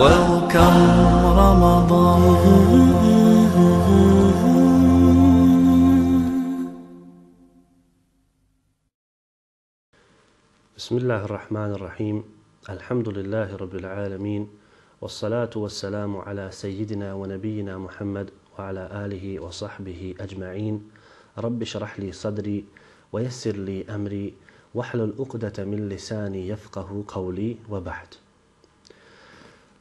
Welcome Ramadan. بسم الله الرحمن الرحيم الحمد لله رب العالمين والصلاة والسلام على سيدنا ونبينا محمد وعلى آله وصحبه أجمعين رب اشرح لي صدري ويسر لي أمري واحلل عقدة من لساني يفقه قولي وبعد.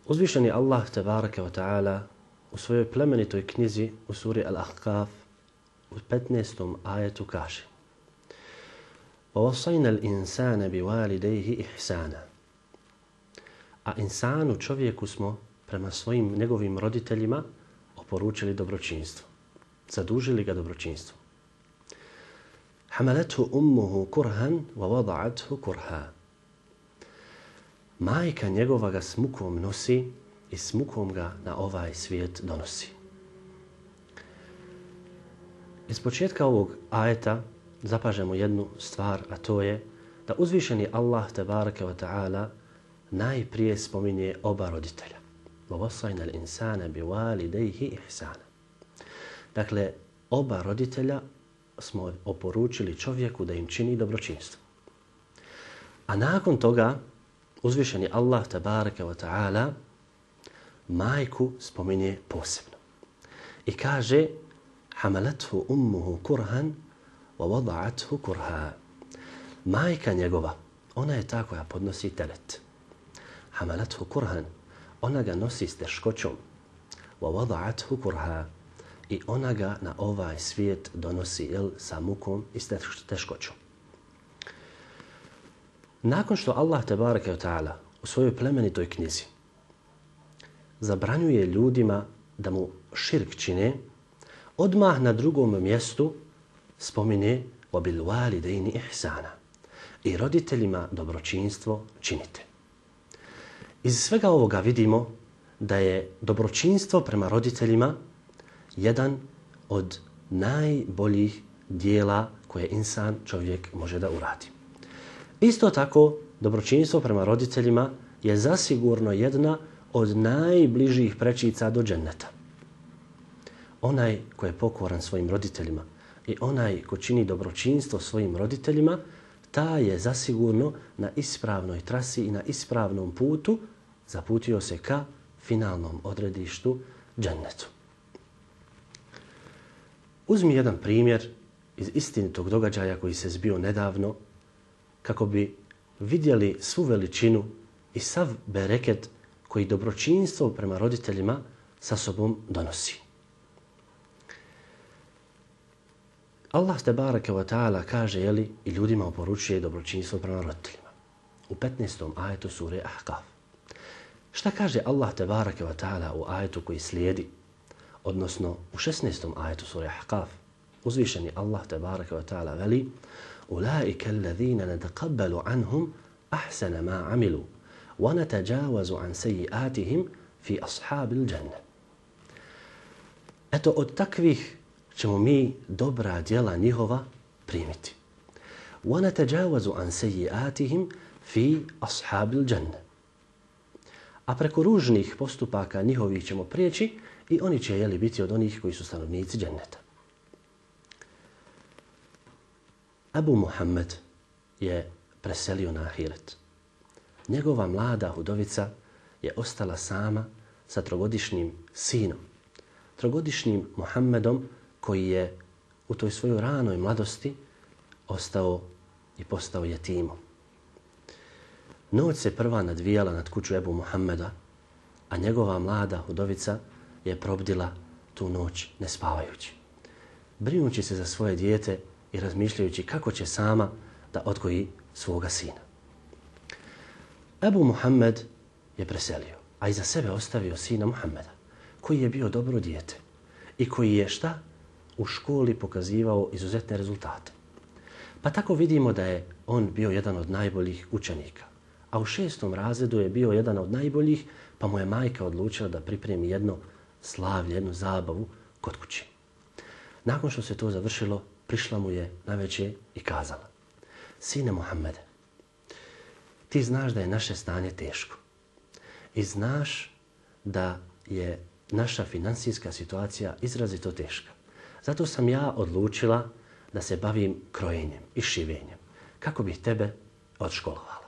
Uzvišeni Allah tebaraka wa ta'ala u svojoj plemenitoj knjizi u suri Al-Ahqaf u 15. ajetu kaže: وَوَصَيْنَا الْإِنسَانَ بِوَالِدَيْهِ إِحْسَانًا. A insanu, čovjeku, smo prema svojim njegovim roditeljima oporučili dobročinstvo. Zadužili ga dobročinstvo. حَمَلَتْهُ أُمُّهُ كُرْهًا وَوَضَعَتْهُ كُرْهًا. Majka njegova ga s mukom nosi i s mukom ga na ovaj svijet donosi. Iz početka ovog ajeta zapažemo jednu stvar, a to je da uzvišeni Allah tebaraka wa ta'ala najprije spominje oba roditelja. وَوَصَيْنَا الْإِنسَانَ بِوَالِدَيْهِ إِحْسَانًا. Dakle, oba roditelja smo oporučili čovjeku da im čini dobročinstvo. A nakon toga uzvišeni Allah tebaraka wa ta'ala majku spominje posebno. I kaže: حَمَلَتْهُ أُمُّهُ كُرْهًا وَوَضَعَتْهُ كُرْهًا. Majka njegova, ona je ta koja podnosi teret. حَمَلَتْهُ كُرْهًا. Ona ga nosi s teškoćom. وَوَضَعَتْهُ كُرْهًا. I ona ga na ovaj svijet donosi sa mukom i s teškoćom. Nakon što Allah tebaraka wa ta'ala u svojoj plemenitoj knjizi zabranjuje ljudima da mu širk čine, odmah na drugom mjestu spomine وَبِالْوَالِدَيْنِ إِحْسَانًا. I roditeljima dobročinstvo činite. Iz svega ovoga vidimo da je dobročinstvo prema roditeljima jedan od najboljih dijela koje insan, čovjek, može da uradi. Isto tako, dobročinstvo prema roditeljima je zasigurno jedna od najbližih prečica do dženneta. Onaj ko je pokoran svojim roditeljima i onaj ko čini dobročinstvo svojim roditeljima, ta je zasigurno na ispravnoj trasi i na ispravnom putu zaputio se ka finalnom odredištu džennetu. Uzmi jedan primjer iz istinitog događaja koji se zbio nedavno kako bi vidjeli svu veličinu i sav bereket koji dobročinstvo prema roditeljima sa sobom donosi. Allah tebaraka wa ta'ala kaže, i ljudima oporučuje dobročinstvo prema roditeljima. U 15. ajetu sure Ahqaf. Šta kaže Allah tebaraka wa ta'ala u ajetu koji slijedi? Odnosno u 16. ajetu sure Ahqaf. Uzvišeni Allah tebaraka wa ta'ala veli: أولئك الذين نتقبل عنهم أحسن ما عملوا ونتجاوز عن سيئاتهم في أصحاب الجنة. Eto, od takvih ćemo mi dobra djela njihova primiti. وَنَتَجَاوَزُ عَنْ سَيِّئَاتِهِمْ فِي أَصْحَابِ الْجَنَّةِ. A preko ružnih postupaka njihovih ćemo prijeći i oni će biti od onih koji su stanovnici dženneta. Abu Muhammed je preselio na ahiret. Njegova mlada udovica je ostala sama sa trogodišnjim sinom, trogodišnjim Muhammedom, koji je u toj svojoj ranoj mladosti ostao i postao jetimom. Noć se prva nadvijala nad kuću Ebu Muhammeda, a njegova mlada udovica je probdila tu noć ne spavajući, brinući se za svoje dijete i razmišljajući kako će sama da odgoji svoga sina. Ebu Muhammed je preselio, a iza sebe ostavio sina Muhammeda, koji je bio dobro dijete i koji je u školi pokazivao izuzetne rezultate. Pa tako vidimo da je on bio jedan od najboljih učenika. A u 6. razredu je bio jedan od najboljih, pa mu je majka odlučila da pripremi jedno slavlje, jednu zabavu kod kući. Nakon što se to završilo, prišla mu je navečer i kazala: Sine Muhammede, ti znaš da je naše stanje teško i znaš da je naša finansijska situacija izrazito teška. Zato sam ja odlučila da se bavim krojenjem i šivenjem, kako bih tebe odškolovala.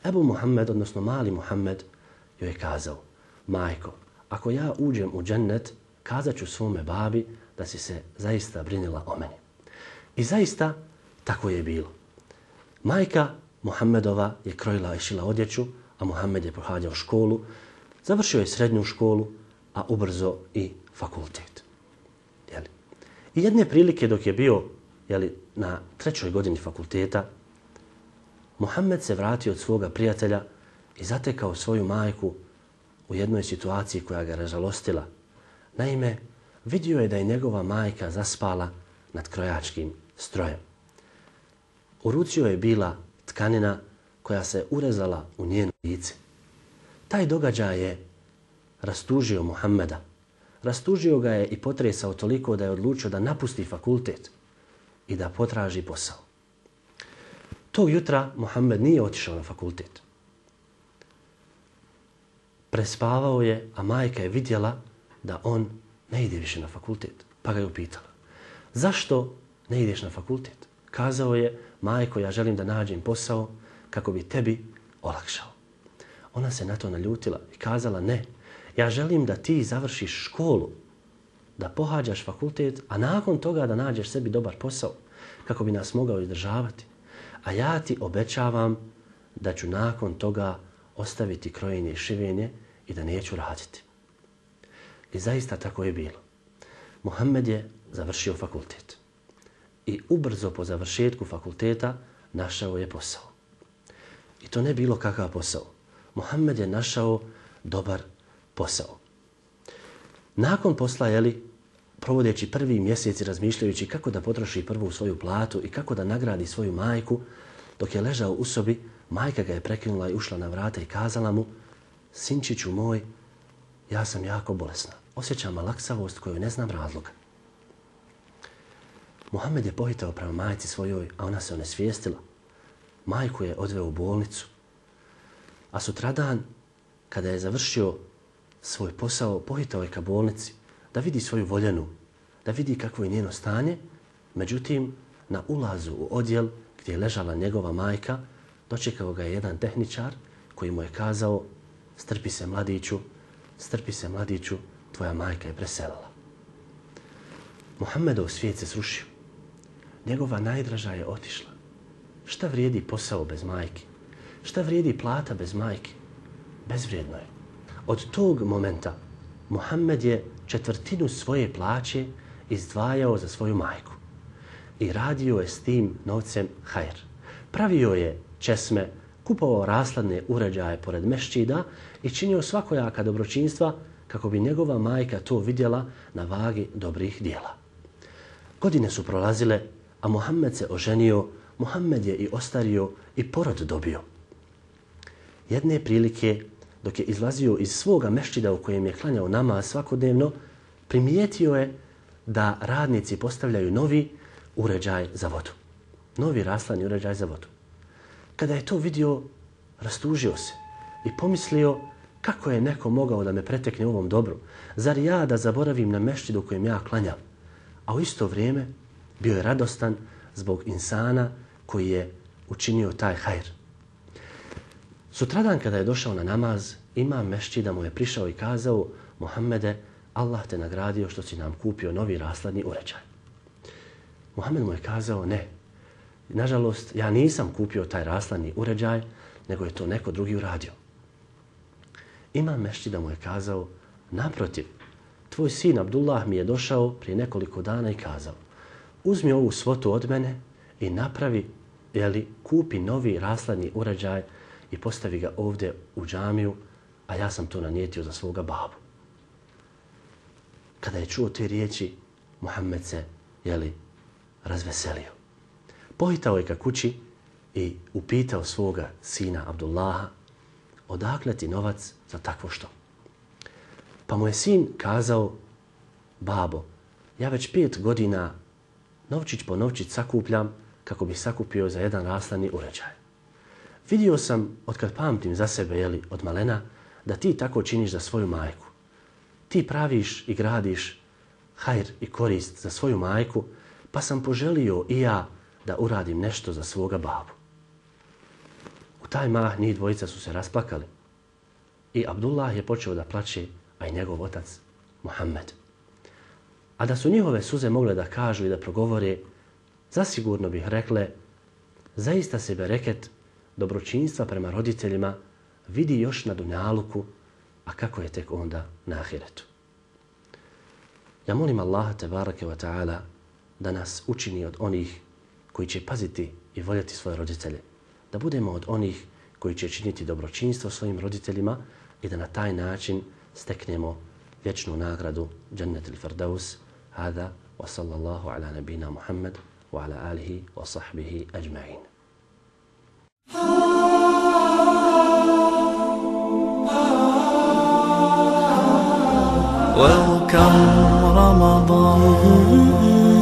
Ebu Muhammed, odnosno mali Muhammed, joj je kazao: majko, ako ja uđem u džennet, kazat ću svome babi da si se zaista brinila o meni. I zaista tako je bilo. Majka Muhammedova je krojila i šila odjeću, a Muhammed je pohađao školu, završio je srednju školu, a ubrzo i fakultet. I jedne prilike dok je bio na 3. godini fakulteta, Muhammed se vratio od svoga prijatelja i zatekao svoju majku u jednoj situaciji koja ga ražalostila. Naime, vidio je da je njegova majka zaspala nad krojačkim strojem. U ruci joj je bila tkanina koja se urezala u njeno lice. Taj događaj je rastužio Muhammeda. Rastužio ga je i potresao toliko da je odlučio da napusti fakultet i da potraži posao. Tog jutra Muhammed nije otišao na fakultet. Prespavao je, a majka je vidjela da on ne ide više na fakultet. Pa ga je upitala: zašto ne ideš na fakultet? Kazao je: majko, ja želim da nađem posao kako bi tebi olakšao. Ona se na to naljutila i kazala: ne, ja želim da ti završiš školu, da pohađaš fakultet, a nakon toga da nađeš sebi dobar posao kako bi nas mogao izdržavati. A ja ti obećavam da ću nakon toga ostaviti krojenje i šivenje i da neću raditi. I zaista tako je bilo. Muhammed je završio fakultet i ubrzo po završetku fakulteta našao je posao. I to ne bilo kakav posao. Muhammed je našao dobar posao. Nakon posla, provodeći prvi mjesec i razmišljajući kako da potroši prvu svoju platu i kako da nagradi svoju majku, dok je ležao u sobi, majka ga je prekinula i ušla na vrata i kazala mu: sinčiću moj, ja sam jako bolesna. Osjećam malaksavost koju ne znam razloga. Muhammed je pohitao prema majci svojoj, a ona se onesvijestila. Majku je odveo u bolnicu. A sutradan, kada je završio svoj posao, pohitao je ka bolnici da vidi svoju voljenu, da vidi kakvo je njeno stanje. Međutim, na ulazu u odjel gdje je ležala njegova majka, dočekao ga je jedan tehničar koji mu je kazao: strpi se mladiću, tvoja majka je preselila. Muhammedov svijet se srušio. Njegova najdraža je otišla. Šta vrijedi posao bez majke? Šta vrijedi plata bez majke? Bezvrijedno je. Od tog momenta Muhammed je 1/4 svoje plaće izdvajao za svoju majku i radio je s tim novcem hajr. Pravio je česme, kupovao rashladne uređaje pored mešćida i činio svakojaka dobročinstva kako bi njegova majka to vidjela na vagi dobrih dijela. Godine su prolazile, a Muhammed se oženio, Muhammed je i ostario i porod dobio. Jedne prilike, dok je izlazio iz svoga mešćida u kojem je klanjao namaz svakodnevno, primijetio je da radnici postavljaju novi uređaj za vodu. Novi rashladni uređaj za vodu. Kada je to vidio, rastužio se i pomislio: kako je neko mogao da me pretekne u ovom dobru? Zar ja da zaboravim na mešćidu u kojem ja klanjam? A u isto vrijeme bio je radostan zbog insana koji je učinio taj hajr. Sutradan kada je došao na namaz, imam mešćida mu je prišao i kazao: Muhammede, Allah te nagradio što si nam kupio novi rashladni uređaj. Muhammed mu je kazao: ne, nažalost, ja nisam kupio taj rashladni uređaj, nego je to neko drugi uradio. Imam mešćida mu je kazao: naprotiv, tvoj sin Abdullah mi je došao prije nekoliko dana i kazao: uzmi ovu svotu od mene i napravi, kupi novi rashladni uređaj i postavi ga ovdje u džamiju, a ja sam to nanijetio za svoga babu. Kada je čuo te riječi, Muhammed se, razveselio. Pohitao je ka kući i upitao svoga sina Abdullaha: odakle ti novac za takvo što? Pa mu je sin kazao: babo, ja već 5 godina novčić po novčić sakupljam kako bi sakupio za jedan rashladni uređaj. Vidio sam, otkad pamtim za sebe, od malena, da ti tako činiš za svoju majku. Ti praviš i gradiš hajr i korist za svoju majku, pa sam poželio i ja da uradim nešto za svoga babu. U taj mah njih dvojica su se rasplakali i Abdullah je počeo da plače, a i njegov otac Muhammed. A da su njihove suze mogle da kažu i da progovore, zasigurno bih rekle, zaista se bereket dobročinstva prema roditeljima vidi još na dunjaluku, a kako je tek onda na ahiretu. Ja molim Allaha tebareke wa ta'ala da nas učini od onih koji će paziti i voljeti svoje roditelje, da budemo od onih koji će činiti dobročinstvo svojim roditeljima i da na taj način steknemo vječnu nagradu Džennetul Firdaus. Hada wa sallallahu ala nabina Muhammad wa ala alihi wa sahbihi ajma'in. Welcome Ramadan.